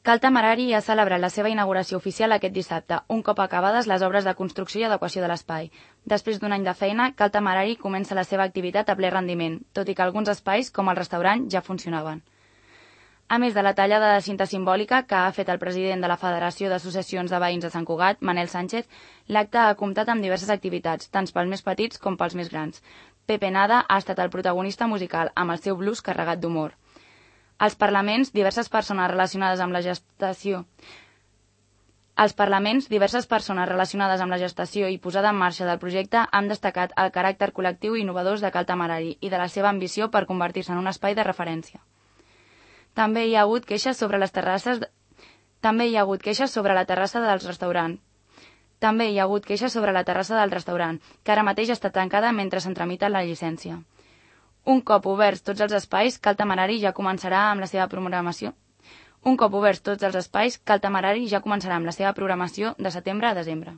Cal Temerari ha celebrat la seva inauguració oficial aquest dissabte, un cop acabades les obres de construcció i adequació de l'espai. Després d'un any de feina, Cal Temerari comença la seva activitat a ple rendiment, tot i que alguns espais, com el restaurant, ja funcionaven. A més de la tallada de cinta simbòlica que ha fet el president de la Federació d'Associacions de Veïns de Sant Cugat, Manel Sánchez, l'acte ha comptat amb diverses activitats, tant pels més petits com pels més grans. Pepe Nada ha estat el protagonista musical, amb el seu blues carregat d'humor. Als parlaments, diverses persones relacionades amb la gestació i posada en marxa del projecte han destacat el caràcter col·lectiu i innovador de Cal Temerari i de la seva ambició per convertir-se en un espai de referència. També hi ha hagut queixes sobre la terrassa del restaurant, que ara mateix està tancada mentre se'n tramita la llicència. Un cop oberts tots els espais, Cal Temerari ja començarà amb la seva programació de setembre a desembre.